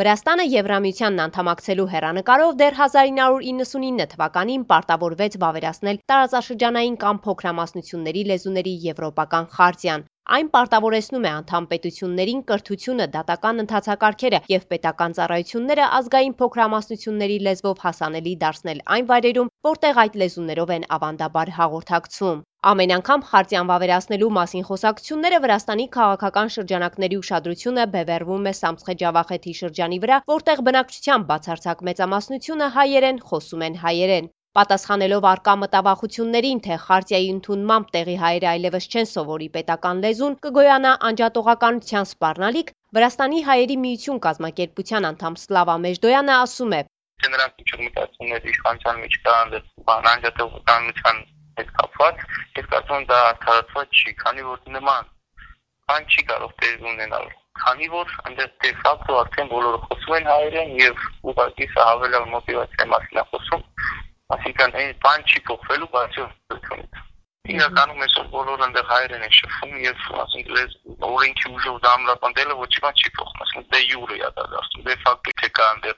Վրաստանը Եվրամիությանն անդամակցելու հեռանկարով դեռ 1999 թվականին պարտավորվեց վավերացնել տարածաշրջանային կամ փոքրամասնությունների լեզուների եվրոպական խարտիան։ Այն պարտավորեցնում է անդամ պետություններին կրթությունը, դատական ընթացակարգերը եւ պետական ծառայությունները ազգային փոքրամասնությունների լեզվով հասանելի դարձնել այն վայրերում, որտեղ այդ լեզուներով են ավանդաբար հաղորդակցում։ Ամեն անգամ խարտիան վավերացնելու մասին խոսակցությունները Վրաստանի քաղաքական շրջանակների ուշադրությունը բևեռվում է Սամցխե Ջավախեթի շրջանի վրա, որտեղ բնակչության բացարձակ մեծամասնությունը հայերեն խոսում են հայերեն։ Պատասխանելով առկա մտավախություններին, թե խարտիայի ընդունմամբ տեղի հայերը այլևս չեն սովորի պետական լեզուն, կգոյանա անջատողականության սպառնալիք, Վրաստանի հայերի միություն կազմակերպության անդամ Սլավա Մեժդոյանը ասում է. Նրանք ինչ մտածումներ իշխանության մեջ կան անջատողականության հետ կապված, ես կարծում եմ դա արդարացված չի, քանի որ նման բան չի կարող տեղի ունենալ, քանի որ այնտեղ դե ֆակտո արդեն բոլորը խոսում են հայերեն եւ ուղղակի սա հավելյալ մոտիվացիայի մասին է խոսում, այսինքն այն բան չի փոխվելու բացի ուսուցումից։ Իրականում այսօր բոլորը այնտեղ հայերեն են շփվում եւ ասենք օրենքի ուժով դա ամրապնդելը ոչ մի բան չի փոխում, ասենք դե յուրե է դա դարձնում, դե ֆակտո թե կա այնտեղ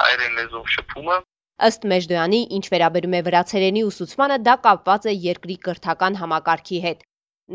հայերեն լեզվով շփումը։ Ըստ Մեժդոյանի, ինչ վերաբերում է վրացերենի ուսուցմանը, դա կապված է երկրի կրթական համակարգի հետ։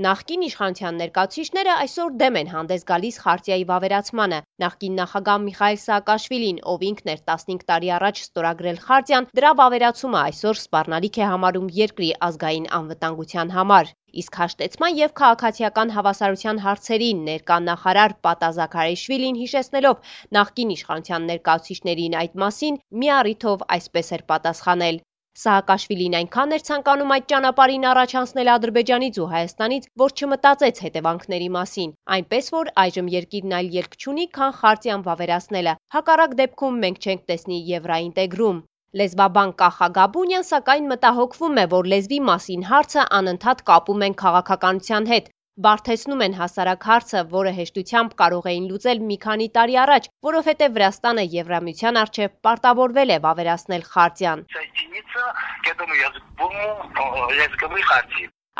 Նախկին իշխանության ներկայացուցիչները այսօր դեմ են հանդես գալիս խարտիայի վավերացմանը։ Նախկին նախագահ Միխայիլ Սաակաշվիլին, ով ինքն էր 15 տարի առաջ ստորագրել խարտիան, դրա վավերացումը այսօր սպառնալիք է համարում երկրի ազգային անվտանգության համար։ Իսկ հաշտեցման եւ քաղաքացիական հավասարության հարցերի ներկա նախարար Պատա Զաքարեշվիլին հիշեցնելով նախկին իշխանության ներկայացուցիչներին այդ մասին, մի առիթով այսպես էր պատասխանել. Սաակաշվիլին այնքան էր ցանկանում այդ ճանապարհին առաջ անցնել Ադրբեջանից ու Հայաստանից, որ չմտածեց հետևանքների մասին, այնպես որ այժմ երկիրն այլ ելք չունի, քան խարտիան վավերացնելը։ Հակառակ դեպքում մենք չենք տեսնի եվրաինտեգրում։ Լեզվաբան Կախա Գաբունյան սակայն մտահոգվում է, որ լեզվի մասին հարցը անընդհատ կապում են քաղաքականության հետ, բարդեցնում են հասարակ հարցը, որը հեշտությամբ կարող էին լուծել մի քանի տարի առաջ, որովհետև Վրաստանը Եվրամիության առջև պարտավորվել է վավերացնել խարտիան։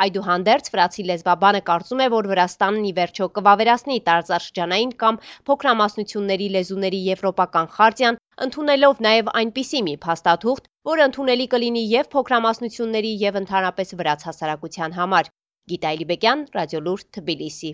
Այդուհանդերձ վրացի լեզվաբանը կարծում է, որ Վրաստանն ի վերջո կվավերացնի տարածաշրջանային կամ փոքրամասնությունների լեզուների եվրոպական խարտիան, ընդունելով նաև այնպիսի մի փաստաթուղթ, որը ընդունելի կլինի և փոքրամասնությունների և ընդհանրապես վրաց հասարակության համար։ Գիտա Էլիբեկյան, Ռադիոլուր, Թբիլիսի։